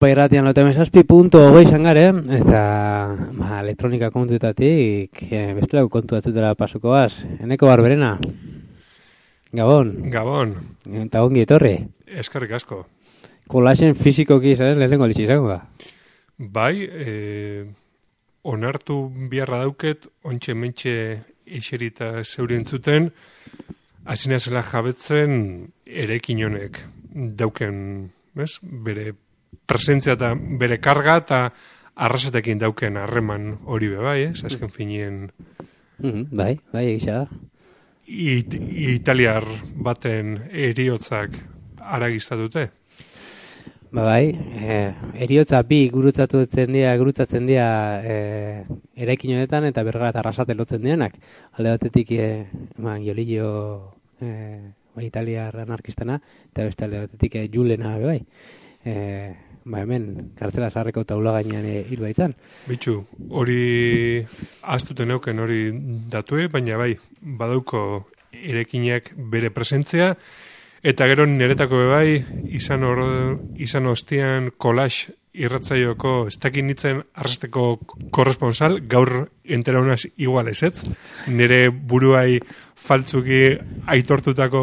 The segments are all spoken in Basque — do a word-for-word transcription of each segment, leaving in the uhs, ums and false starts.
Irratian lotemezazpi punto hogei zangare, eta ba, elektronika kontuetatik eh, bestelako kontu batzutela pasukoaz. Eneko Barberena. Gabon. Gabon. Eta ongi etorri. Eskerrik asko. Kolaxen fizikoki, ¿sabes? Lehenengo litxi izango da. Bai, eh, onartu biharra dauket, ontxe mentxe iserita zeurien zuten, azina zela jabetzen erekin honek dauken, bez? Bere presentzia eta bere karga eta arrasatekin dauken harreman hori be bai, ez? Azken finien... Mm-hmm, bai, bai, egisa da. It, italiar baten eriotzak aragiztatute. Ba bai, eh, eriotza bi gurutzatzen dira, gurutzatzen dira eh, eraikin honetan eta bergara eta arrasate lotzen direnak. Alde batetik eh, ma, Giolillo eh, ba, italiar anarkistana eta beste alde batetik eh, Julena bai. Eh, ba hemen, kartzela zaharreko taula gainean e, hil baitzan. Bitxu, hori ahaztuten euken hori datue, baina bai, badauko erekinak bere presentzia, eta gero niretako bai, izan, or, izan ostian kolax irratzaioko ez dakit nintzen arrasteko korresponsal, gaur enteraunaz igual ezetz, nire buruai faltzuki aitortutako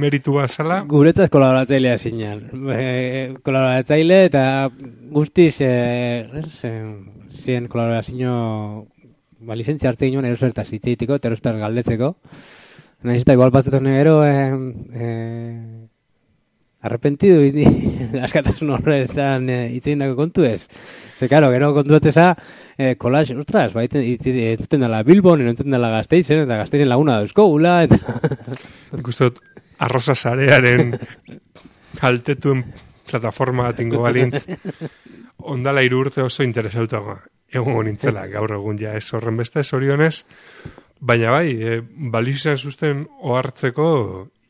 meritua zala. Guretzat kolaboratzailea zinean. E, kolaboratzaile eta guztiz e, e, zien kolaborazio ba, lizentzia hartzen ginoen erosertaz hitzeitiko, eta erosertaz galdetzeko. Naiz eta igual batzutan ero e, e, arrepentidu askatasun horretan hitzein dako kontu ez. Ze, karo, gero kontu batzeza, eh, kolax, ostras, ba, entzuten dela Bilbon, entzuten dela Gasteizen, eta Gasteizen laguna dauzko, gula, eta... Gustot, arroza sarearen kaltetuen plataforma tingo balintz, ondala hiru urte oso interesautagoa. Egun nintzela, gaur egun ja ez horren beste, zorionez, baina bai, e, baliz izan zuzten ohartzeko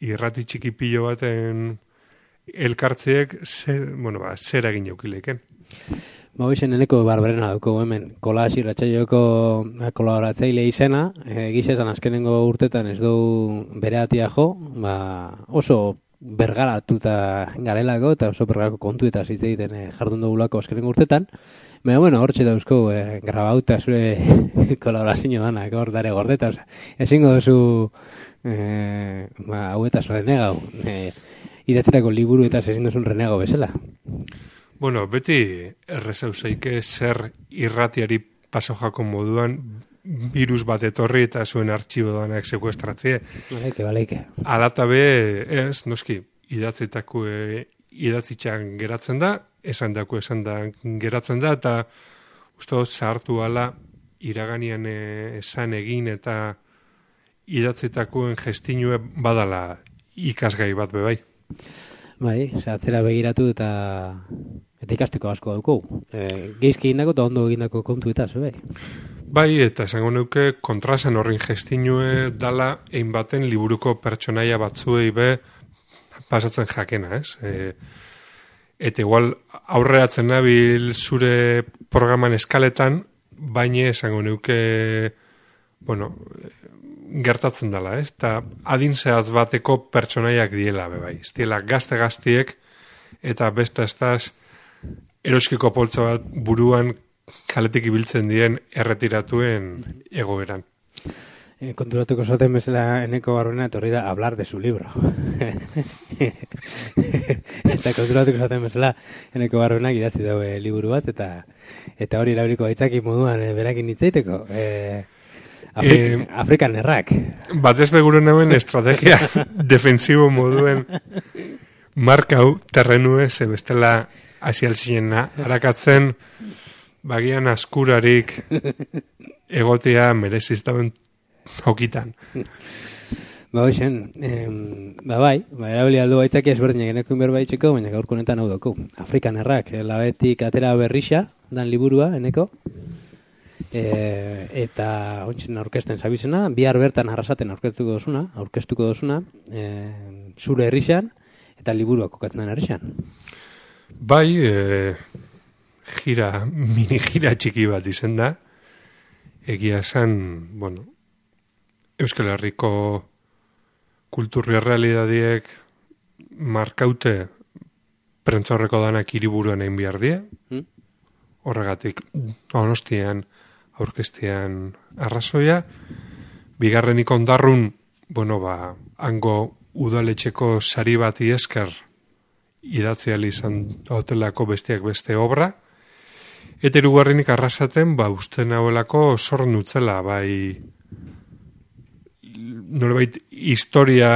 irrati txiki pilo baten elkartzeek zer, bueno, ba, zer egin jaukileken. Ba, hoizen eneko Barberena dauko hemen, kolax irratsaioeko kolaboratzaile izena, e, gizezan azkenengo urtetan ez du bere atia jo, ba, oso bergaratuta garelako eta oso bergarako kontu eta hitz egiten e, jardun dugulako azkenengo urtetan. Baina, bueno, hortxe dauzko e, grabauta zure kolaborazio danak, hor dare gordeta, oza, ezingo duzu e, ba, hauetaz renegau, e, idatzetako liburu eta ezin duzun renegau bezala. Bueno, beti errezauzeike zer irratiari pasojako moduan virus bat etorri eta zuen artxibo danak sekuestratzea. Baleike, baleike. Alatabe, ez, noski, idatzetako e, idatzitxan geratzen da, esan dako esan da geratzen da, eta uste zahartu ala iraganian e, esan egin eta idatzetakoen gestinue badala ikasgai bat bebai. Bai, atzera begiratu eta eta ikasteko asko dauko. E, geizki egindako eta ondo egindako kontu eta bai. Bai, eta esango neuke kontrasan horrin gestinue dala egin baten liburuko pertsonaia batzuei be pasatzen jakena, ez? E, eta igual aurreratzen nabil zure programan eskaletan, baina esango neuke, bueno, gertatzen dela, ez? Eta adin zehaz bateko pertsonaiak diela, bebai. Ez diela gazte-gaztiek eta beste estaz eroskiko poltza bat buruan kaletik ibiltzen dien erretiratuen egoeran. E, konturatuko zaten bezala eneko Barberena etorri da hablar de su libro. Eta konturatuko zaten bezala eneko Barberenak idatzi daue liburu bat, eta eta hori erabiliko gaitzaki moduan e, berakin hitzaiteko. E, Afrik, eh, Afrikan errak. Batez beguru nauen estrategia defensibo moduen markau terrenue zebestela asialtzinen harakatzen bagian askurarik egotea mereziztaben hokitan. Ba hoxen, eh, ba bai, ba erabili aldo gaitzaki ezberdinak eneko inberbaitxeko, baina gaurko honetan hau doko. Afrikan errak, labetik atera berrixa, dan liburua, eneko. E, eta ontsen aurkezten zabizena, bihar bertan arrasaten aurkeztuko dozuna, aurkeztuko dozuna, e, zure herrixan eta liburuak kokatzen den herrixan. Bai, e, gira, mini gira txiki bat izen da, egia esan, bueno, Euskal Herriko kulturri realidadiek markaute prentzaurreko danak hiriburuan egin behar die, hmm? Horregatik Donostian aurkeztean arrazoia, bigarrenik Ondarrun, bueno, ba, hango udaletxeko sari bati esker idatzi ahal izan hotelako besteak beste obra, eta hirugarrenik Arrasaten, ba, uste nahuelako zorn utzela, bai, norbait historia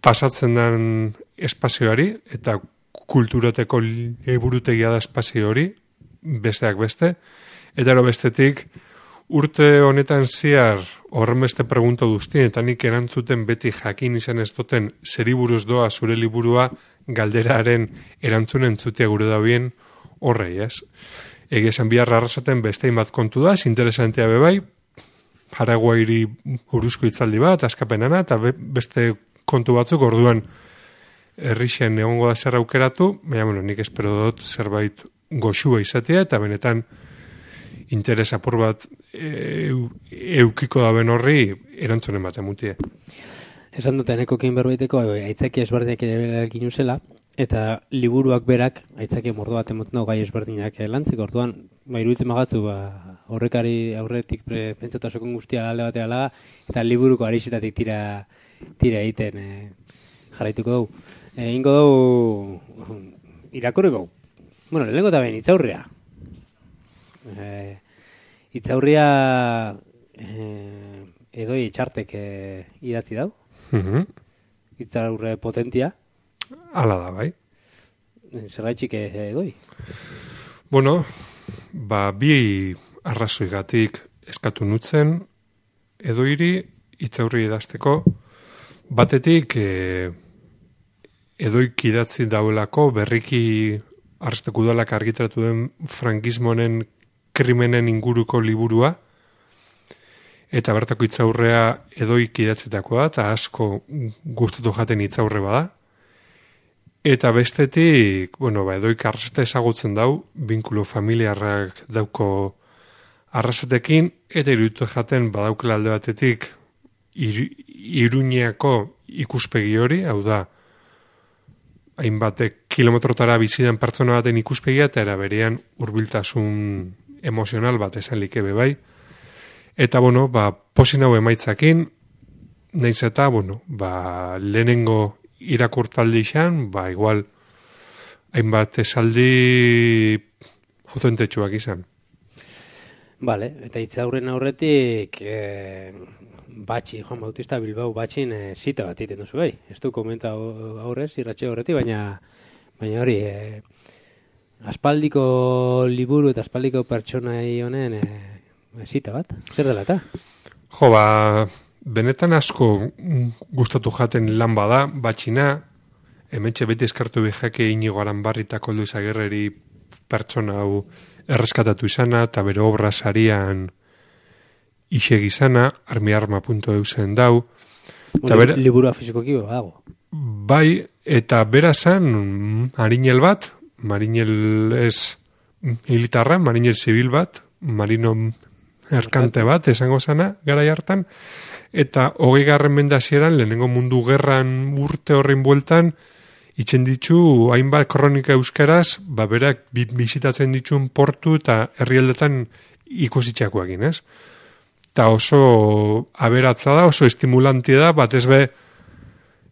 pasatzen den espazioari, eta kulturateko liburutegia da espazio hori, besteak beste, eta ero bestetik, urte honetan ziar horren beste pregunto duztien, eta nik erantzuten beti jakin izan ez duten zeri buruz doa zure liburua galderaren erantzunen entzutea gure daubien horrei, ez? Egia esan biharra Arrasaten bestein bat kontu da, interesantea bebai, Paraguairi buruzko itzaldi bat, askapenana, eta beste kontu batzuk orduan herrixen egongo da zer aukeratu, baina, bueno, nik espero dut zerbait goxua izatea, eta benetan interes apur bat e, eukiko daben horri erantzunen bat emutie. Esan dut, enekokin berbaiteko, aitzaki ezberdinak ere egin uzela, eta liburuak berak, aitzaki mordo bat emoten gai ezberdinak lantzeko, orduan, ba, iruditzen magatzu, ba, horrekari aurretik pentsatasokon guztia alde batera laga, eta liburuko arixetatik tira, tira egiten e, jarraituko dugu. E, ingo dugu, irakurriko, bueno, lehenko eta behin, itzaurria. E, itzaurria e, edoi itxartek e, idatzi dau. Mm-hmm. Itzaurre potentia. Hala da, bai. Zergaitxik edoi? Bueno, ba, bi arrazoigatik eskatu nutzen edoiri itzaurri idazteko, batetik e, edoik idatzi dauelako berriki Arrasteko udalak argitaratu den frankismonen krimenen inguruko liburua, eta bertako itzaurrea edoik idatzetakoa, eta asko gustatu jaten itzaurre bada. Eta bestetik, bueno, ba, edoik Arrasate ezagutzen dau, binkulo familiarrak dauko Arrasatekin, eta iruditu jaten badaukela alde batetik ir, Iruñeako ikuspegi hori, hau da, hainbatek kilometrotara bizidan pertsona baten ikuspegia, eta era berean hurbiltasun emozional bat esan likebe bai. Eta, bueno, ba, posin hau emaitzakin, nahiz eta, bueno, ba, lehenengo irakurtaldi izan, ba, igual, hainbat esaldi autentetsuak izan. Vale, eta itzaurren aurretik, eh, Batxi, Juan Bautista Bilbao batxin e, zita bat iten duzu, bai. Ez du komenta aurrez, irratxe horretik, baina, baina hori, e, aspaldiko liburu eta aspaldiko pertsonai honen e, zita bat, zer dela eta? Jo, ba, benetan asko gustatu jaten lan bada, batxina, hementxe beti eskartu bihake Inigo Aranbarri eta Koldo Izaguirreri pertsona hau erreskatatu izana, eta bere obra sarian iseg izana, armiarma puntu eu zen dau. Bera, liburua fizikoki dago. Bai, eta bera zan marinel bat, marinel ez militarra, marinel zibil bat, marino erkante bat, esango zana, garai hartan, eta hogei garren mendazieran, lehenengo mundu gerran urte horrein bueltan, itzen ditu, hainbat kronika euskaraz, ba berak bizitatzen dituen portu eta herrialdetan ikusitxakoakin, ez? Eta oso aberatza da, oso estimulantia da, batez be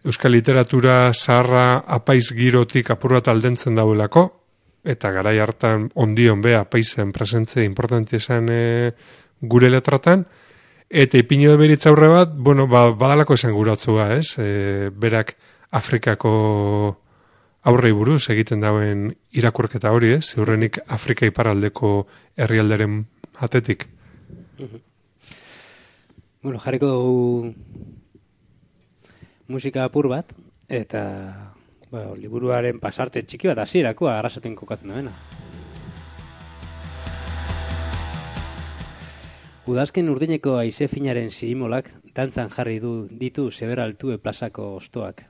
euskal literatura zaharra apaiz girotik apur bat aldentzen dauelako, eta garai hartan ondion be apaizen presentze importanti esan e, gure letratan, eta ipino de beritzaurre bat, bueno, ba, badalako esan guratzua, ez? E, berak Afrikako aurrei buruz egiten dauen irakurketa hori, ez? Ziurrenik Afrika iparraldeko herrialderen atetik. Uh-huh. Bueno, jarriko dugu musika apur bat, eta bueno, liburuaren pasarte txiki bat hasierakoa Arrasaten kokatzen da bena. Udazken urdineko haize finaren zirimolak dantzan jarri du ditu Zeberaltue plazako ostoak.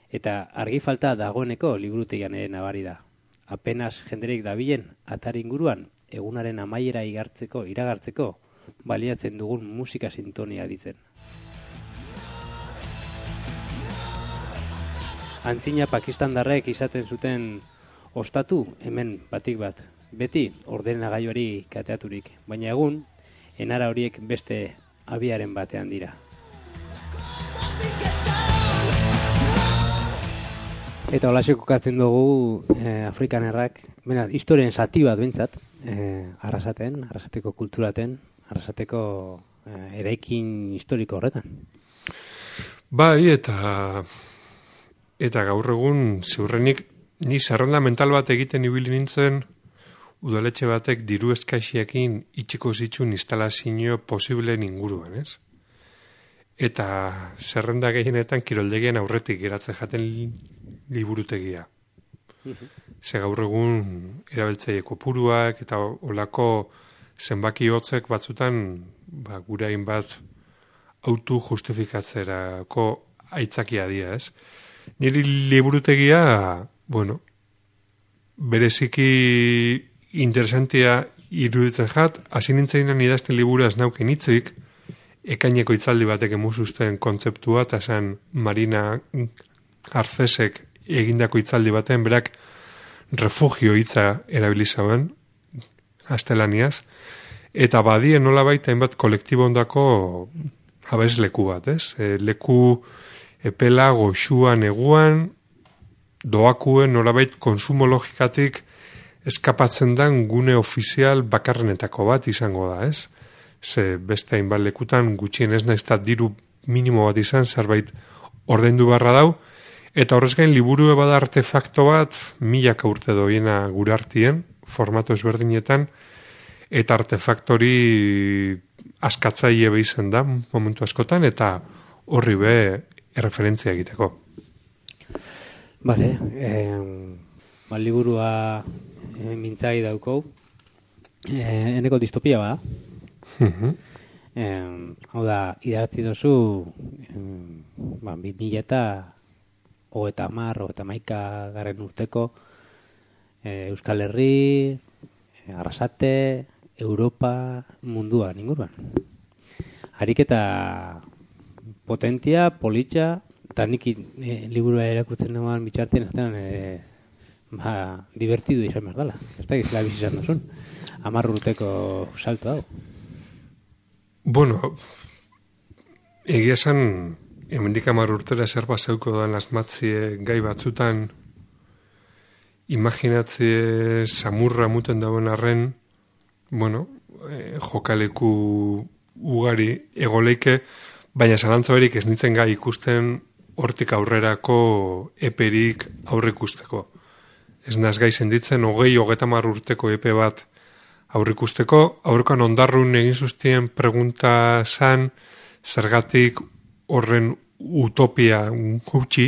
Eta argi falta dagoeneko liburutegian ere nabari da. Apenas jenderik dabilen atar inguruan egunaren amaiera igartzeko, iragartzeko, baliatzen dugun musika sintonia ditzen. Antzina pakistandarrek izaten zuten ostatu hemen batik bat, beti ordenagailuari kateaturik, baina egun enara horiek beste abiaren batean dira. Eta holaxe kokatzen dugu eh, Afrikanerrak, bena, historien zati bat bintzat, eh, arrasaten, arrasateko kulturaten, arrasateko eh, eraikin historiko horretan. Bai, eta eta gaur egun ziurrenik ni zerrenda mental bat egiten ibili nintzen udaletxe batek diru eskaixiekin itxiko zituen instalazio posibleen inguruan, ez? Eta zerrenda gehienetan kiroldegian aurretik geratzen jaten liburutegia. Ze gaur egun erabiltzaile kopuruak eta olako zenbaki hotzek batzutan ba, gure hainbat autu justifikatzerako aitzakia dira, ez? Niri liburutegia, bueno, bereziki interesantia iruditzen jat, hasi nintzen idazten liburu ez nauken hitzik, ekaineko hitzaldi batek emuzuzten kontzeptua, eta esan Marina Garcesek egindako hitzaldi baten, berak refugio hitza erabilizaben, gaztelaniaz, eta badien nola baita hainbat kolektibo ondako abez leku bat, ez? E, leku epela, goxua, neguan, doakuen nolabait konsumo logikatik eskapatzen den gune ofizial bakarrenetako bat izango da, ez? Ze beste hainbat lekutan gutxien ez naizta diru minimo bat izan, zerbait ordaindu barra dau, eta horrez gain liburu bada artefakto bat milaka urte doiena gure artien, formato ezberdinetan, eta artefaktori askatzaile behizen da momentu askotan, eta horri be erreferentzia egiteko. Bale, eh, ba, liburua eh, mintzai daukou, eh, eneko distopia ba. Uh-huh. eh, hau da, idatzi dozu eh, ba, bi mila eta hogeta hamar, hogeta hamaika garen urteko eh, Euskal Herri, eh, Arrasate, Europa, munduan, inguruan. Ariketa potentia, politxa, eta nik e, liburua erakurtzen nagoan bitxartien, aztenan, e, ba, divertidu izan behar dela. Ez da gizela bizizan duzun. Hamar urteko salto hau. Bueno, egia esan, hemendik hamar urtera zer bazeuko doan asmatzie gai batzutan, imaginatzie samurra muten dauen arren, bueno, e, jokaleku ugari egoleike, baina zalantza berik ez nintzen gai ikusten hortik aurrerako eperik aurre ikusteko. Ez naz gai senditzen, hogei, hogeta mar urteko epe bat aurre ikusteko, aurrekan ondarrun egin zuztien pregunta zan, zergatik horren utopia gutxi,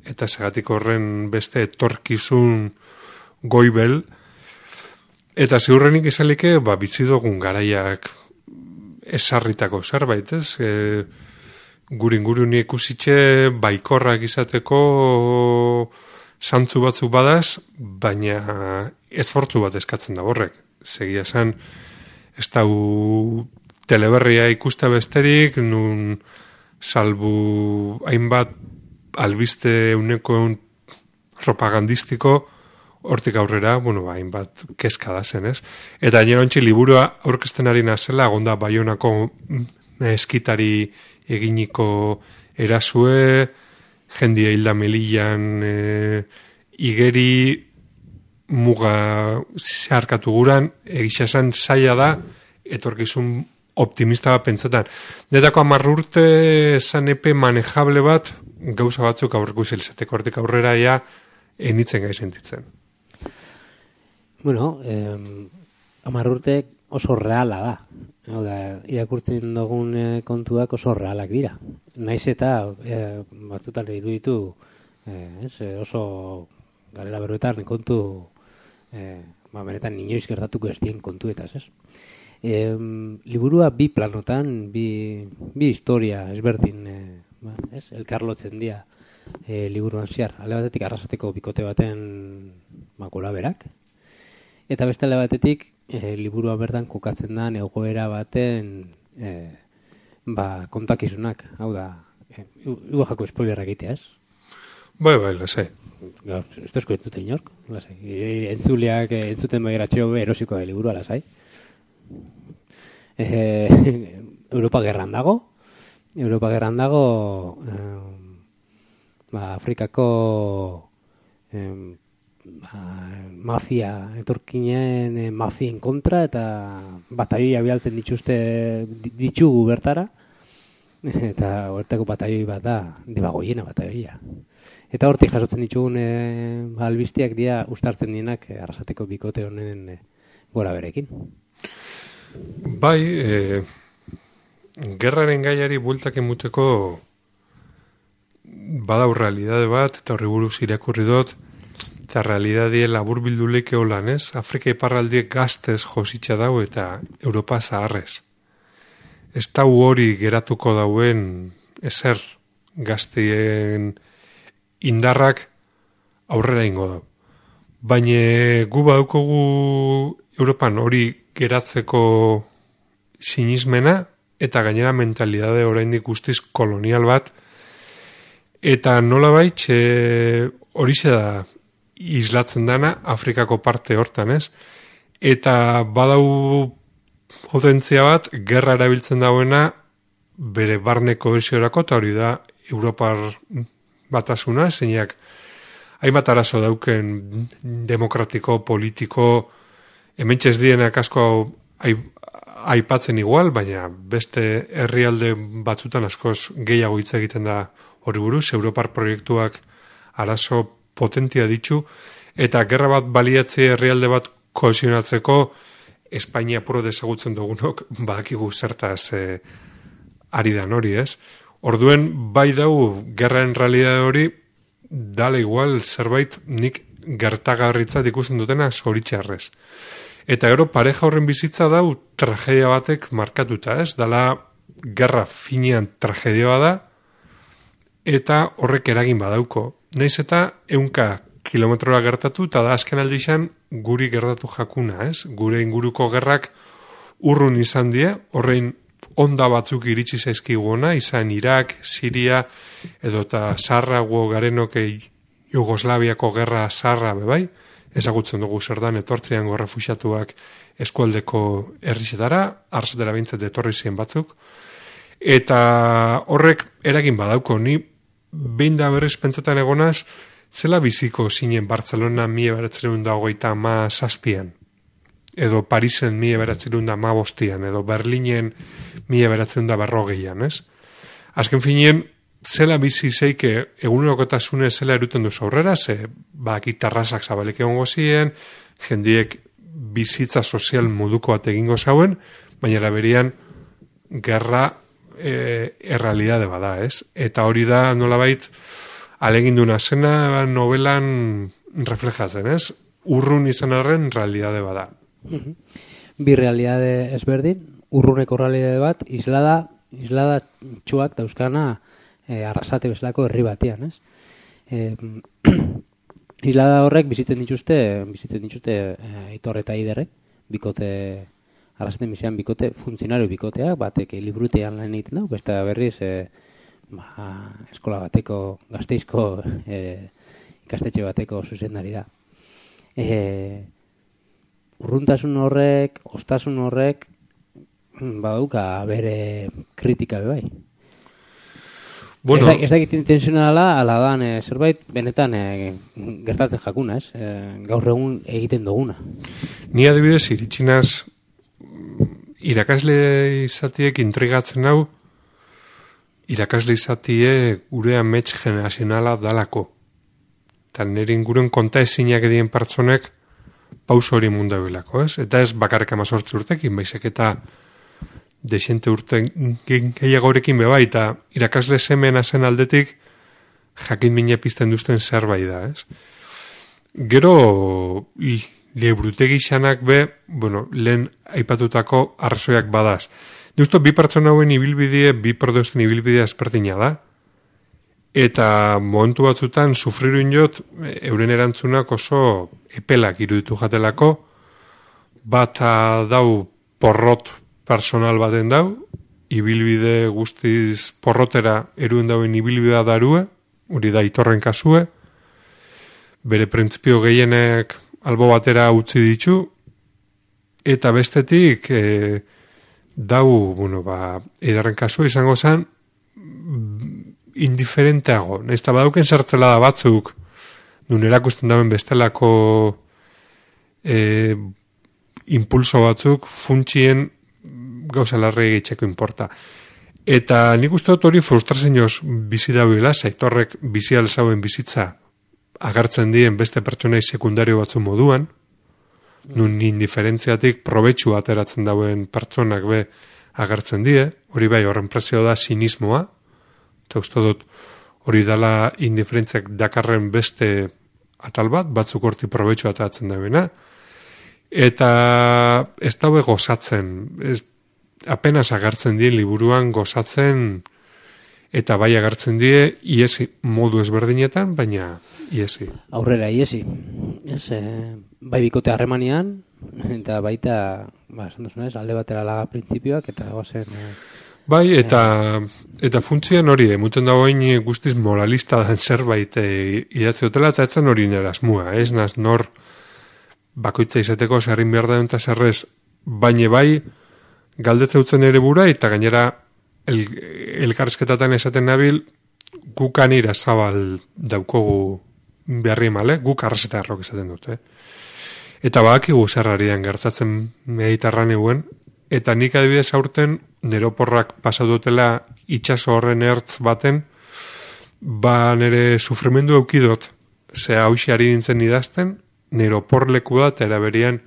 eta zergatik horren beste etorkizun goibel, eta ziurrenik izalike, ba, bitzi dugun garaiak esarritako zerbait, ez? E, gure inguruni ikusitxe baikorrak izateko zantzu batzuk badaz, baina esfortzu bat eskatzen da horrek. Segia esan, ez dau teleberria ikuste besterik, nun salbu hainbat albiste euneko eun propagandistiko, hortik aurrera, bueno, hainbat kezka da zen, ez? Eta gainera ontsi liburua aurkezten ari nazela, agonda Baionako eskitari eginiko erasue, jendia hilda Melillan e, igeri muga zeharkatu guran, egisa esan zaila da, etorkizun optimista bat pentsetan. Netako hamar urte esan epe manejable bat, gauza batzuk aurreku zilzeteko hortik aurrera ja, enitzen gai sentitzen. Bueno, eh, hamar urte oso reala da. Hau da, irakurtzen dugun eh, kontuak oso realak dira. Naiz eta eh, batzutan iruditu eh, ez, oso garela berbetan kontu eh, ba, benetan inoiz gertatuko ez dien kontuetaz, ez? Eh, liburua bi planotan, bi, bi historia ezberdin eh, ba, ez? Elkarlotzen dira eh, liburuan zehar. Alde batetik Arrasateko bikote baten ba, gora berak, eta beste alde batetik E, liburua bertan kokatzen da egoera baten e, ba, kontakizunak, hau da, e, igual jako spoilerra egitea, ez? Bai, bai, lasai. Gaur, ez tozko entzute inork, lasai. Entzuleak entzuten begiratxeo erosiko da liburua, lasai. Eh, Europa gerran dago, Europa gerran dago, eh, ba, Afrikako eh, ba, mafia, etorkinen eh, mafien kontra, eta bataioia bialtzen dituzte ditugu bertara, eta hortako bataioi bat da, debagoiena bataioia. Eta hortik jasotzen ditugun e, albiztiak dira ustartzen dienak e, Arrasateko bikote honen e, gora berekin. Bai, e, gerraren gaiari bueltak emuteko badau realidade bat, eta horri buruz irakurri dut, eta realidadie labur bilduleik eolan, ez? Afrika iparraldiek gaztez jositza dau eta Europa zaharrez. Ez da hori geratuko dauen ezer gazteien indarrak aurrera ingo da. Baina gu badukogu Europan hori geratzeko sinismena eta gainera mentalidade oraindik guztiz kolonial bat, eta nolabait e, horixe da islatzen dana Afrikako parte hortan, ez? Eta badau potentzia bat, gerra erabiltzen dauena bere barne kohesiorako, eta hori da Europar batasuna, zeinak hainbat arazo dauken demokratiko, politiko, hementxez dienak asko aipatzen igual, baina beste herrialde batzutan askoz gehiago hitz egiten da hori buruz, Europar proiektuak arazo potentia ditu, eta gerra bat baliatze herrialde bat kohesionatzeko Espainia puro desagutzen dugunok badakigu zertaz e, ari dan hori, ez? Orduen, bai dau, gerraen realidade hori, dala igual zerbait nik gertagarritzat ikusten dutena zoritxarrez. Eta gero, pareja horren bizitza dau tragedia batek markatuta, ez? Dala, gerra finean tragedia bada, eta horrek eragin badauko. Naiz eta ehunka kilometrora gertatu, eta da azken aldixan guri gertatu jakuna, ez? Gure inguruko gerrak urrun izan die, horrein onda batzuk iritsi zaizkiguna, izan Irak, Siria, edo eta Sarrago garenok Jugoslaviako gerra Sarra bebai, ezagutzen dugu zer dan etortzean refuxiatuak eskualdeko herrizetara, arzetara bintzat etorri ziren batzuk, eta horrek eragin badauko, ni behin da berriz pentsetan egonaz, zela biziko zinen Bartzelona mila bederatziehun eta hogeita ama zazpian, edo Parisen mila bederatziehun eta hamabostian, edo Berlinen mila bederatziehun eta berrogeian, ez? Azken finien, zela bizi zeike egunerokotasune zela eruten duzu aurrera, ze ba, gitarrazak zabalik egongo ziren, jendiek bizitza sozial moduko bat egingo zauen, baina eraberian gerra e, errealidade bada, ez? Eta hori da nolabait aleginduna zena novelan reflejatzen, ez? Urrun izan arren realidade bada. Bi realidade ezberdin, urruneko realidade bat, islada, islada txuak dauzkana e, Arrasate bezalako herri batean, ez? E, islada horrek bizitzen dituzte, bizitzen dituzte e, Aitor eta Aiderrek, bikote, Arrasaten bizian bikote, funtzionario bikoteak, batek librutean lan egiten du, beste berriz e, ba, eskola bateko, Gasteizko e, ikastetxe bateko zuzendari da. E, urruntasun horrek, ostasun horrek, baduka bere kritika bebai. Bueno, ez da egiten intensionala, ala dan, e, zerbait benetan e, gertatzen jakuna, ez? E, gaur egun egiten duguna. Ni adibidez iritsinaz irakasle izatiek intrigatzen hau, irakasle izatie gure amets generazionala dalako. Eta nire inguruen konta ezinak edien pertsonek pauso hori mundabilako, ez? Eta ez bakarrik amazortzi urtekin, baizek eta desente urte gehiagorekin beba, eta irakasle semena zen aldetik jakin mina pizten duzten zerbait da, ez? Gero liburutegi xanak be, bueno, lehen aipatutako arrazoiak badaz. Justo bi pertsona hauen ibilbidea, bi produzten ibilbidea ezberdina da, eta momentu batzutan sufriru inot, euren erantzunak oso epelak iruditu jatelako, bat dau porrot personal baten dau, ibilbide guztiz porrotera eruen dauen ibilbidea darue, hori da Aitorren kasue, bere printzipio gehienek albo batera utzi ditu, eta bestetik e, dau, bueno, ba, Eidarren kasua izango zen indiferenteago. Naizta badauken zertzela da batzuk, nun erakusten dauen bestelako e, impulso batzuk funtsien gauza larri egitxeko inporta. Eta nik uste dut hori frustrazioz bizi dauela, Aitorrek bizi alzauen bizitza agertzen dien beste pertsonai sekundario batzu moduan, nun indiferentziatik probetxu ateratzen dauen pertsonak be agertzen die, hori bai horren presio da sinismoa, eta uste dut hori dala indiferentziak dakarren beste atal bat, batzuk horti probetxu ateratzen dauena, eta ez daue gozatzen, ez, apenas agertzen dien liburuan gozatzen, eta bai agertzen die, iesi modu ezberdinetan, baina iesi. Aurrera, iesi. Ez, e, bai bikote harremanian, eta baita, ba, esan duzunez, alde batera laga printzipioak, eta gozen... E, bai, eta, eta funtzioan hori, emuten dagoen guztiz moralista dan zerbait e, idatzi dutela, eta etzen hori nerazmua, ez naz nor bakoitza izateko zerrin behar da eta zerrez, baina bai, galdetze utzen ere bura, eta gainera el, elkarrizketatan esaten nabil, gukan ira zabal daukogu beharri male, guk arraseta errok esaten dut, eh? Eta badakigu zerrarian gertatzen Mediterran eguen, eta nik adibidez aurten neroporrak pasadutela itxaso horren ertz baten, ba nere sufrimendu eukidot, ze hausi ari nintzen idazten, neropor leku da, eta eraberian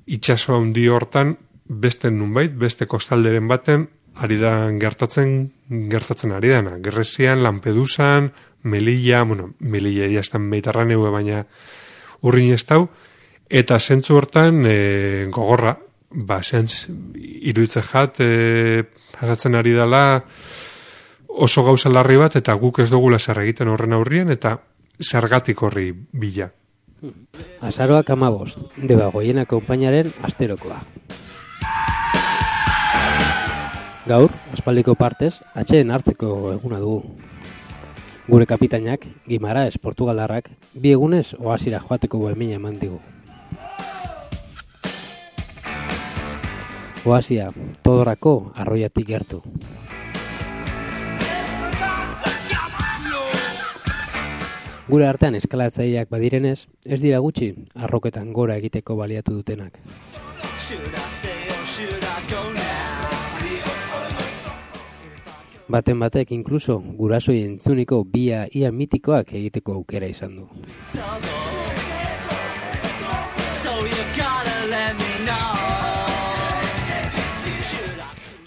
itxaso handi hortan, beste nunbait, beste kostalderen baten, ari da gertatzen, gertatzen ari dana. Grezian, Lampedusan, Melilla, bueno, Melilla jaztan Mediterraneu, baina urrin ez dau, eta zentzu hortan e, gogorra, ba, zentz, iruditzen jat, e, pasatzen ari dela oso gauza larri bat, eta guk ez dugula zer egiten horren aurrien, eta zergatik horri bila. Azaroak amabost, Debagoiena konpainaren asterokoa. Gaur, aspaldiko partez, atxeen hartzeko eguna dugu. Gure kapitainak, Gimaraes Portugaldarrak, bi egunez oasira joateko bohemina eman digu. Oasia, Todorako arroiatik gertu. Gure artean eskalatzaileak badirenez, ez dira gutxi arroketan gora egiteko baliatu dutenak. Baten batek inkluso gurasoi entzuniko bia ia mitikoak egiteko aukera izan du.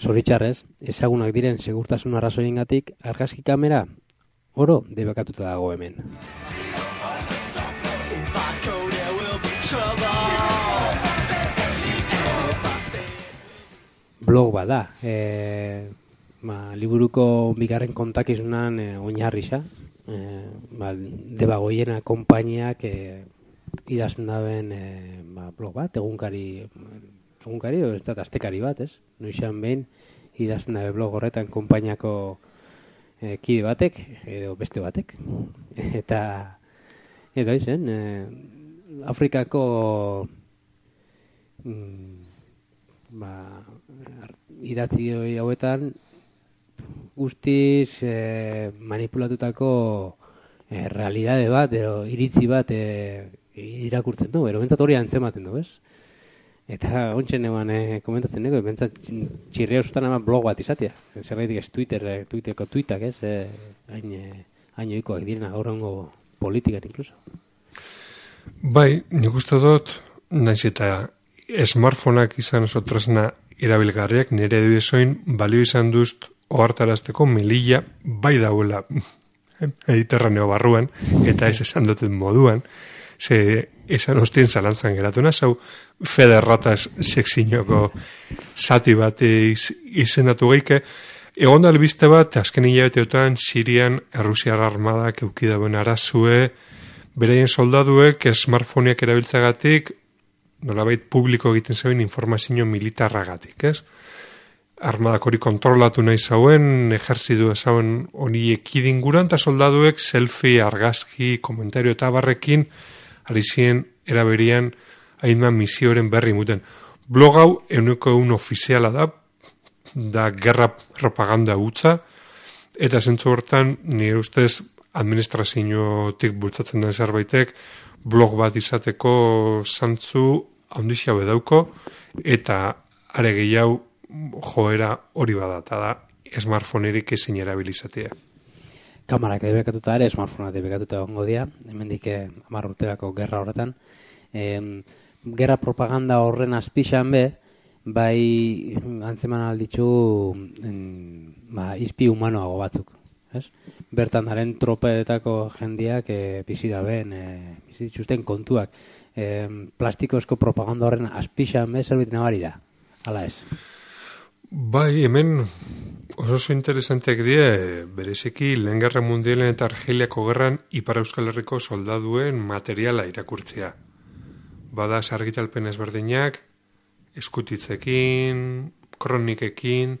Zoritxarrez, ezagunak diren segurtasun arrazoiengatik argazki kamera oro debekatuta dago hemen. Blog bada, e, ba, liburuko bigarren kontakizunan e, oinarrisa, e, ba, Debagoiena konpainiak e, idazten daben e, ba, blog bat, egunkari, egunkari, ez da, astekari bat, ez? Noixan behin idazten dabe blog horretan konpainiako e, kide batek, edo beste batek, eta eta izen, e, Afrikako mm, ba, idatzi hauetan guztiz e, manipulatutako e, realidade bat, edo iritzi bat e, irakurtzen du, ero bentsat hori antzematen du, ez? Eta ontsen eban e, komentatzen dugu, bentsat txirria usutan ama blog bat izatea. Zerraitik ez Twitter, Twitterko tuitak, ez? E, hain, e, hain oikoak direna gaurrengo politikan inkluso. Bai, nik uste dut, naiz eta smartphoneak izan oso tresna erabilgarriak, nire edoizoin balio izan dust ohartarazteko Melilla bai dauela Mediterraneo barruan, eta ez esan duten moduan, ze esan ostien zalantzan geratuna, zau federrataz sekzinoko zati bat iz, izendatu geike, egon da albiste bat, azken hilabeteotan Sirian Errusiar armadak eukidaben arazue, beraien soldaduek smartphoneak erabiltzagatik nolabait publiko egiten zeuen informazio militarragatik, ez? armadak hori kontrolatu nahi zauen, ejerzidu ezauen honi ekidinguran, eta soldaduek selfie, argazki, komentario eta barrekin, ari ziren eraberian hainman misioaren berri muten. Blog hau euneko eun ofiziala da, da gerra propaganda hutsa, eta zentzu hortan, nire ustez, administraziotik bultzatzen den zerbaitek, blog bat izateko zantzu handixia bedauko, eta are gehiago joera hori badata da, smartphonerik ezin erabilizatea. Kamarak debekatuta ere, smartphoneak debekatuta egongo dira, hemendik hamar urterako gerra horretan. E, gerra propaganda horren azpixan be, bai antzeman alditzu ba, izpi humanoago batzuk. Ez? Bertan daren tropeetako jendiak e, bizi da ben, e, bizi dituzten kontuak. E, plastikozko propaganda horren azpixan be, zerbait nabari da. Hala ez? Bai, hemen oso oso interesanteak die, bereziki lehen gerra mundialen eta Argeliako gerran Ipar Euskal Herriko soldaduen materiala irakurtzea. Bada argitalpen ezberdinak, eskutitzekin, kronikekin,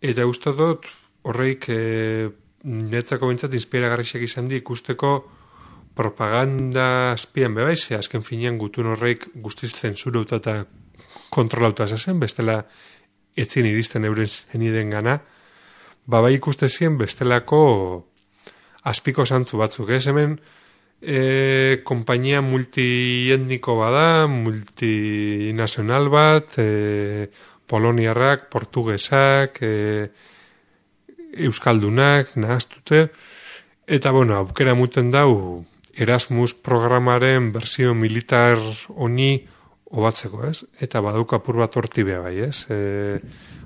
eta uste dut horreik e, netzako bintzat inspiragarriak izan di ikusteko propaganda azpian bebaise, azken finean gutun horreik guztiz zentzurauta eta kontrolauta zazen, bestela etzin iristen euren zeniden gana, baba ikuste zien bestelako azpiko zantzu batzuk, ez hemen e, kompainia multietniko bada, multinazional bat, e, poloniarrak, portugesak, e, euskaldunak, nahaztute, eta bueno, aukera muten dau Erasmus programaren berzio militar honi obatzeko, ez? Eta badauka apur bat horti beha bai, ez? E,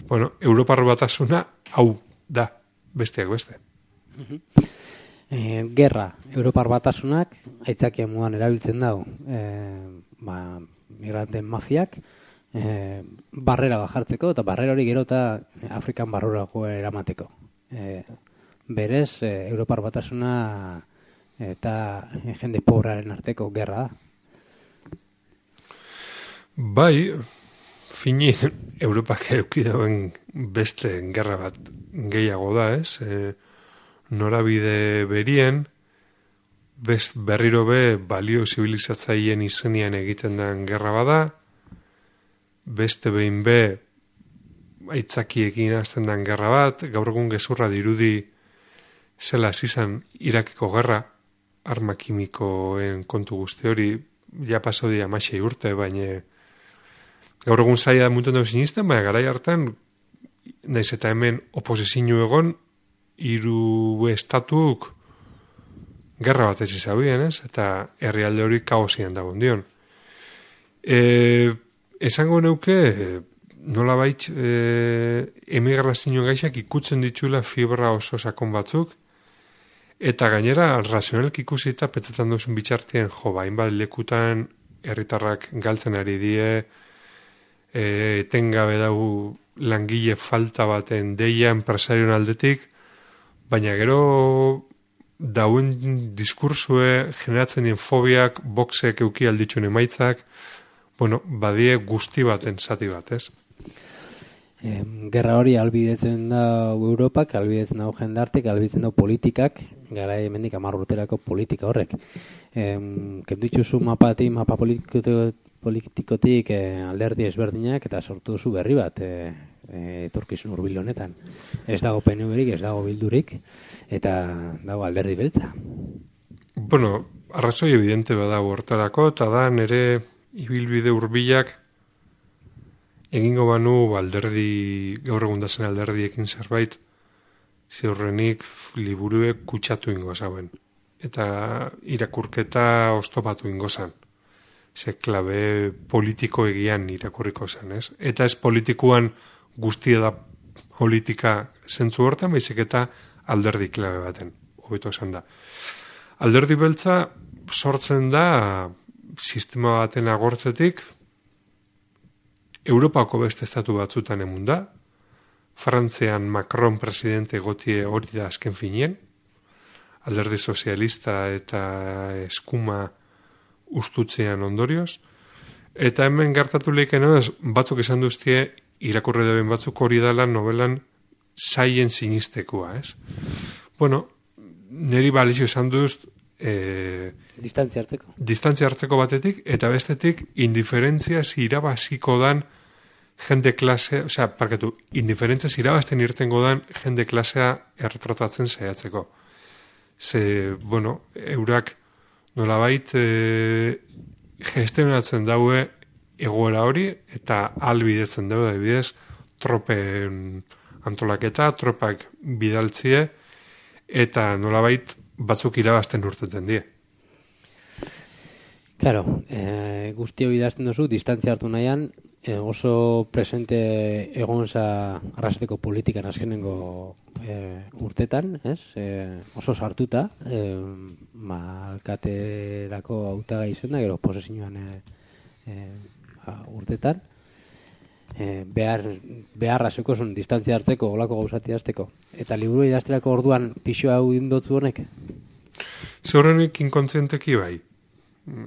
bueno, Europar batasuna hau da, besteak beste. E, gerra, Europar batasunak aitzakia muan erabiltzen dau, e, ba, migranten mafiak, e, barrera bajartzeko, eta barrera hori gero eta Afrikan barrurago eramateko. E, berez, e, Europar batasuna eta jende pobraren arteko gerra da. Bai, fini Europak eukidauen beste gerra bat gehiago da, ez? E, norabide berien, best berriro be balio zibilizatzaien izenian egiten den gerra bada, beste behin be aitzakiekin azten den gerra bat, gaur egun gezurra dirudi zela zizan Irakeko gerra, arma kimikoen kontu guzti hori, ja paso di amasei urte, baina gaur egun zaila muten dago sinisten, baina garai hartan, naiz eta hemen oposizio egon, hiru estatuk gerra bat ez izabien, ez? Eta herrialde hori kaosian dagoen dion. E, esango neuke, nola bait, e, emigrazio gaixak ikutzen ditula fibra oso sakon batzuk, eta gainera, razionalki ikusi eta petzetan duzun bitxartien, jo, bain bat lekutan herritarrak galtzen ari die, e, etengabe dugu langile falta baten deia enpresarion aldetik, baina gero dauen diskursue generatzen dien fobiak, boxek euki alditxun emaitzak, bueno, badie guzti baten zati bat, ez? E, gerra hori albidetzen da Europak, albidetzen da jendartek, albidetzen da politikak, gara hemendik hamar urterako politika horrek. E, Kenditzuzu mapati, mapa politiko, politikotik e, alderdi ezberdinak eta sortu duzu berri bat, e, e, etorkizun hurbil honetan. Ez dago P N V-rik, ez dago bildurik, eta dago alderdi beltza. Bueno, arrazoi evidente badago hortarako, eta da nere ibilbide hurbilak egingo banu alderdi, gaur egun dazen alderdiekin zerbait, ziurrenik liburuek kutsatu ingo zauen. Eta irakurketa oztopatu ingo zan. Ze klabe politiko egian irakurriko zen, ez? Eta ez politikoan guztia da politika zentzu hortan, baizik eta alderdi klabe baten, hobeto esan da. Alderdi beltza sortzen da sistema baten agortzetik, Europako beste estatu batzutan emun da, Frantzian Macron presidente gotie hori da azken finien, alderdi sozialista eta eskuma ustutzean ondorioz, eta hemen gertatu leikeno batzuk esan duztie irakurri dauen batzuk hori dela novelan zaien sinistekoa, ez? Bueno, niri balizio esan duz e, distantzia hartzeko. Distantzia hartzeko batetik, eta bestetik indiferentzia irabaziko dan jende klase, osea, parkatu, indiferentzia irabazten irtengo dan jende klasea erretratatzen saiatzeko. Ze, bueno, eurak nolabait e, gestionatzen daue egoera hori, eta albidetzen daue, adibidez, tropen antolaketa, tropak bidaltzie, eta nolabait batzuk irabazten urteten die. Claro, eh, guztio idazten duzu, distantzia hartu nahian, eh, oso presente egonza arrasateko politikan azkenengo eh, urtetan, ez? Eh, oso sartuta, eh, ma, alkaterako hautagai izan da, gero posesiñoan eh, eh, urtetan, eh, behar, beharra zekozun distantzia hartzeko, olako gauzati azteko. Eta liburu idazterako orduan pixo hau indotzu honek? Zeurenik inkontzienteki bai.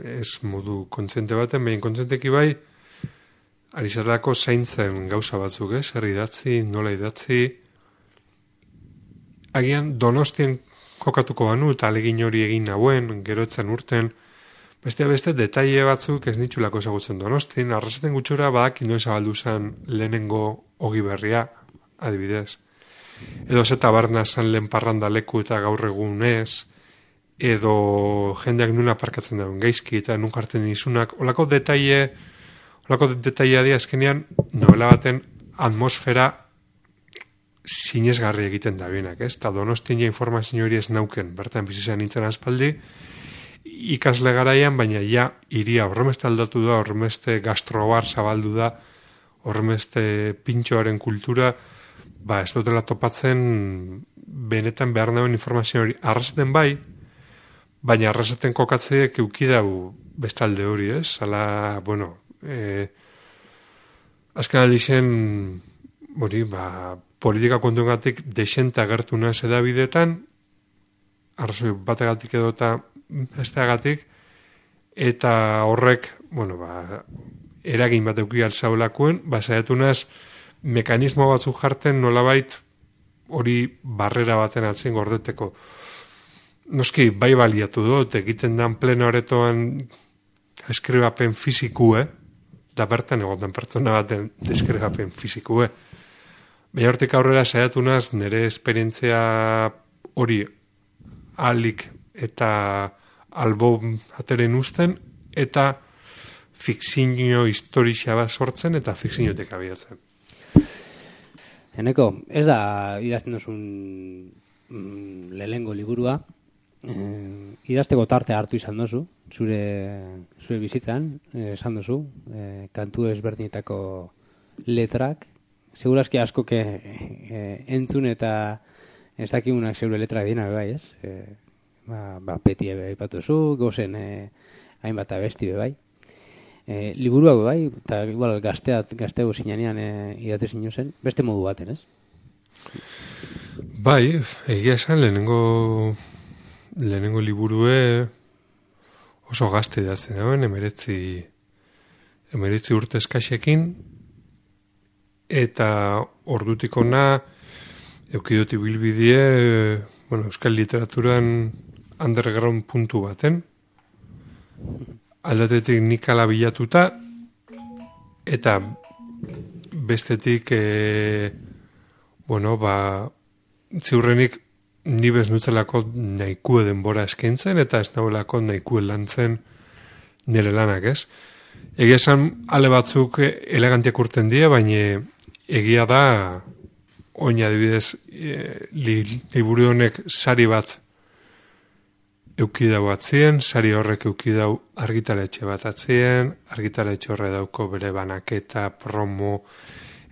Ez modu kontziente baten, behin kontzienteki bai, ari zerlako zaintzen gauza batzuk, ez? Herri idatzi, nola idatzi. Agian Donostien kokatuko banu, eta alegin hori egin nauen, geroetzen urten, beste beste detaile batzuk ez nitxulako ezagutzen Donostin, arrasaten gutxora badak inoen zabaldu zen lehenengo ogi berria, adibidez. Edo zeta barna zan lehen parranda leku eta gaur egun ez, edo jendeak nuna aparkatzen dauen gaizki eta nun jartzen izunak, olako detaile, olako detailea di azkenean novela baten atmosfera sinesgarri egiten da bienak, ez? Ta Donostin ja informazio hori ez nauken, bertan bizizan nintzen aspaldi, ikasle garaian, baina ja iria horremeste aldatu da, horremeste gastrobar zabaldu da, horremeste pintxoaren kultura, ba ez dutela topatzen benetan behar nauen informazio hori arrasaten bai, baina arrasaten kokatzeek eukidau bestalde hori, ez? Hala, bueno, e, azken aldi zen, hori, ba, politika kontuengatik desente agertu naz edabidetan, arrazoi bategatik edo eta besteagatik, eta horrek, bueno, ba, eragin bat euki altzaulakuen, ba, saiatu naz, mekanismo batzuk jarten nolabait hori barrera baten atzen gordeteko. Noski, bai baliatu dut, egiten dan pleno aretoan eskribapen fizikue, da bertan egoten pertsona baten deskribapen fizikue. Baina hortik aurrera saiatu naz, nire esperientzia hori alik eta albo ateren usten, eta fikzio historia bat sortzen, eta fikziotek abiatzen. Eneko, ez da idazten duzun mm, lehengo liburua, eh, idazteko tarte hartu izan duzu, zure, zure bizitzan, eh, esan duzu, eh, kantu ezberdinetako letrak, segurazki asko ke eh, entzun eta ez dakigunak zeure letrak dina, bai, ez? Eh, ba, ba, peti ebe aipatu zu, gozen eh, hainbat abesti bai. Eh, liburua bai, eta igual gazteat, gazteo zinanean eh, idatze zinu zen, beste modu baten, ez? Bai, egia esan lehenengo lehenengo liburue oso gazte idatzen dauen, emeretzi emeretzi urte eskaxekin, eta ordutik ona eukidoti bilbidie, bueno, euskal literaturan underground puntu baten, aldatetik nik ala bilatuta, eta bestetik, e, bueno, ba, ziurrenik ni bez nutzelako nahikue denbora eskaintzen, eta ez naholako nahikue lantzen nire lanak, ez? Egia esan, ale batzuk elegantiak urten dira, baina egia da, oin adibidez, e, li, liburu honek sari bat eukidau atzien, sari horrek eukidau argitaletxe bat atzien, argitaletxe horre dauko bere banaketa, promo,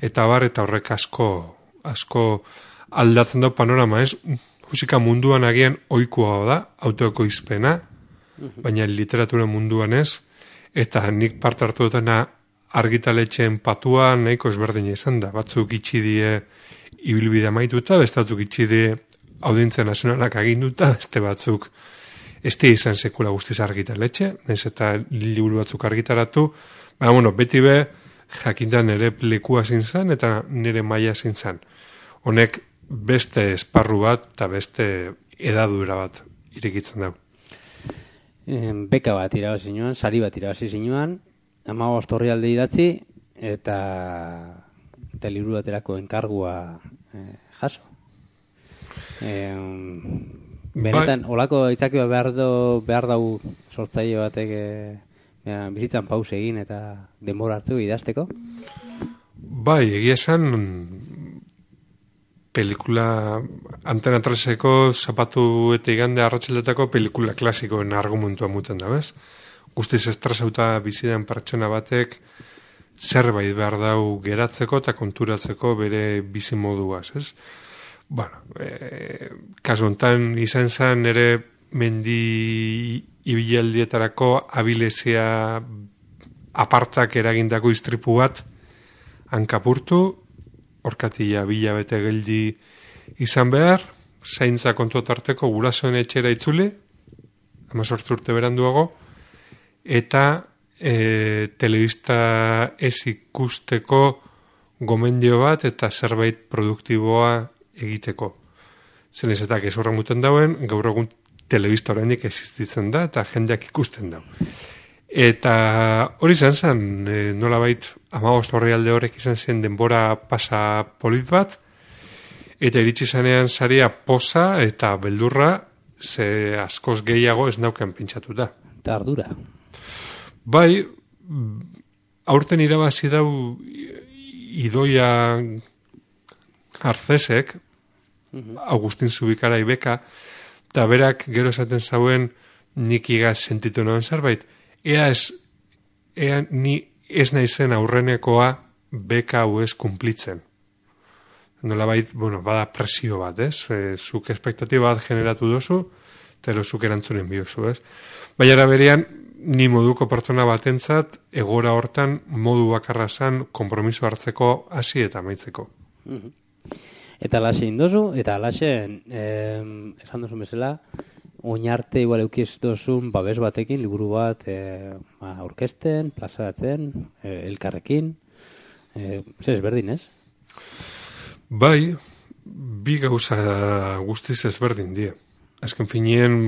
eta bar, eta horrek asko, asko aldatzen dau panorama, ez? Musika munduan agian ohikoa da, autoeko izpena, baina literatura munduan ez, eta nik parte hartu dutena argitaletxeen patua nahiko ezberdina izan da. Batzuk itxi die ibilbidea maituta, beste batzuk itxi die audientzia nazionalak aginduta, beste batzuk ez di izan sekula guztiz argitaletxe, nahiz eta liburu batzuk argitaratu, baina bueno, beti be jakinda nire lekua zintzen eta nire maila zintzen. Honek beste esparru bat eta beste edadura bat irekitzen dago. Beka bat irabazi zinuan, sari bat irabazi zinuan, hamabost orrialde idatzi eta eta liburu baterako enkargua eh, jaso. Eh, benetan, olako itzakioa behar, do, behar dau sortzaile batek eh, bizitzan pause egin eta denbora hartu idazteko? Bai, egia esan pelikula Antena treseko zapatu eta igande arratsaldeetako pelikula klasikoen argumentua muten da, bez? Guztiz estresauta bizidan pertsona batek zerbait behar dau geratzeko eta konturatzeko bere bizi moduaz, ez? Bueno, e, kasu hontan izan zen ere mendi ibialdietarako abilezia apartak eragindako istripu bat hankapurtu, orkatila bila bete geldi izan behar, zaintza kontu tarteko gurasoen etxera itzuli, hamazortzi urte beranduago, eta e, telebista ez ikusteko gomendio bat eta zerbait produktiboa egiteko. Zenez eta gezurra muten dauen, gaur egun telebista oraindik existitzen da eta jendeak ikusten dau. Eta hori izan zen, e, nolabait hamabost orrialde horrek izan zen denbora pasa polit bat, eta iritsi zanean saria poza eta beldurra, ze askoz gehiago ez nauken pentsatuta. Eta ardura. Bai, aurten irabazi dau Idoia Arcesek, uh-huh. Agustin Zubikara ibeka, eta berak gero esaten zauen nik igaz sentitu noen zerbait. Ea ez, ea ni ez naizen aurrenekoa beka hau ez kumplitzen. Nolabait, bueno, bada presio bat, ez? E, zuk espektatiba bat generatu dozu, eta zuk erantzunen biozu, ez? Baina berean, ni moduko pertsona batentzat, egora hortan modu bakarra zan konpromiso hartzeko hasi eta amaitzeko. Uh-huh. Eta alaxe indozu, eta alaxe, eh, esan duzun bezala, oinarte igual eukiz dozun babes batekin, liburu bat eh, aurkezten, plazaratzen, eh, elkarrekin, eh, ze ezberdin, ez? Bai, bi gauza guztiz ezberdin die. Azken finien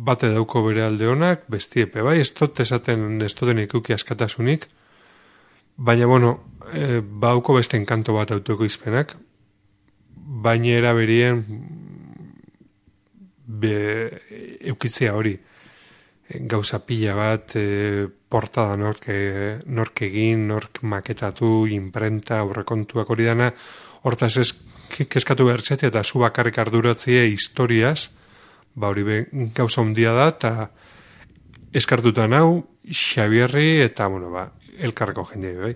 bate dauko bere alde honak, bestiepe, bai, ez tot esaten ez toten ikuki askatasunik, baina, bueno, e, bauko beste enkanto bat autoko izpenak, baina eraberien be, eukitzea hori, gauza pila bat, e, portada nork, e, nork egin, nork maketatu, imprenta, aurrekontuak hori dana, hortaz ez keskatu behartzete eta zu bakarrik arduratzie historiaz, ba hori be, gauza hundia da, eta eskartutan hau, Xabierri eta, bueno, ba, elkarreko jendea, bai.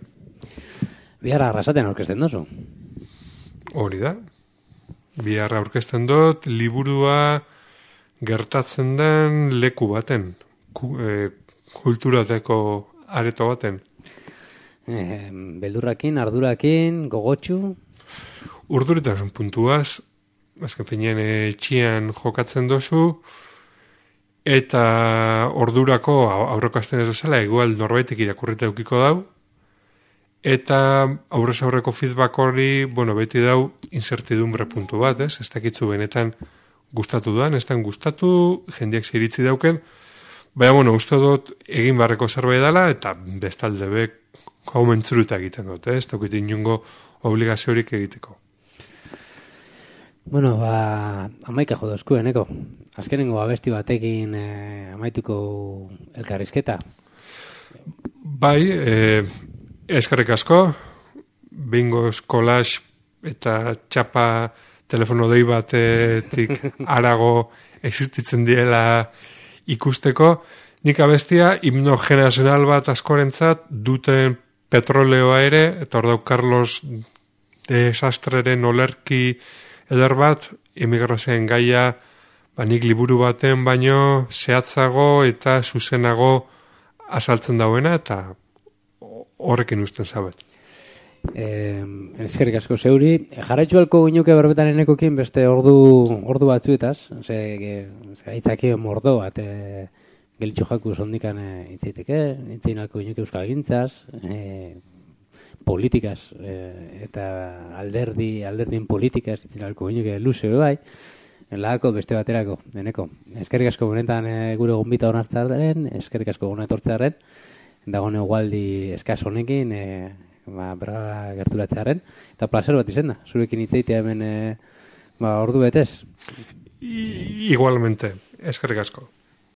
Biharra arrasaten aurkezten dozu? Hori da. Biharra aurkezten dut, liburua gertatzen den leku baten, ku, e, kulturateko areto baten. Eh, beldurrakin, ardurakin, gogotxu? Urduritasun puntuaz, azken finean etxian jokatzen dozu, eta ordurako aurreko asten ez bezala, igual norbaitek irakurrita eukiko dau, eta aurrez aurreko feedback hori, bueno, beti dau incertidumbre puntu bat, ez? Ez dakitzu benetan gustatu duan, ez dan gustatu, jendeak ziritzi dauken, baina, bueno, uste dut egin barreko zerbait dela, eta bestalde bek hau mentzuruta egiten dut, ez? Daukit inungo obligaziorik egiteko. Bueno, ba, amaika jodozku, eneko. Azkenengo abesti batekin eh, amaituko elkarrizketa. Bai, eh, eskarrik asko, bingoz kolax eta txapa telefono dei batetik arago existitzen diela ikusteko. Nik abestia himno generazional bat askorentzat duten petroleoa ere, eta hor dau Carlos Desastreren olerki eder bat, emigrazioen gaia, ba, nik liburu baten baino zehatzago eta zuzenago azaltzen dauena, eta horrekin usten zabet. Eh, eskerrik asko zeuri. Jarraitzu alko guinuke berbetan enekokin beste ordu, ordu batzuetaz, ze, ze aitzaki mordo bat, e, gelitxo jaku zondikan e, itzaiteke, itzain alko guinuke euskal gintzaz, e, politikaz, e, eta alderdi, alderdien politikaz, itziralko ginuke luze bai, lagako beste baterako, deneko. Eskerrik asko benetan e, gure gonbita honartzaren, eskerrik asko gona etortzearen, dagoen egualdi eskaz honekin, e, ba, berra gerturatzearen, eta placer bat izan da, zurekin hitzeitea hemen e, ba, ordu betez. I, igualmente, eskerrik asko.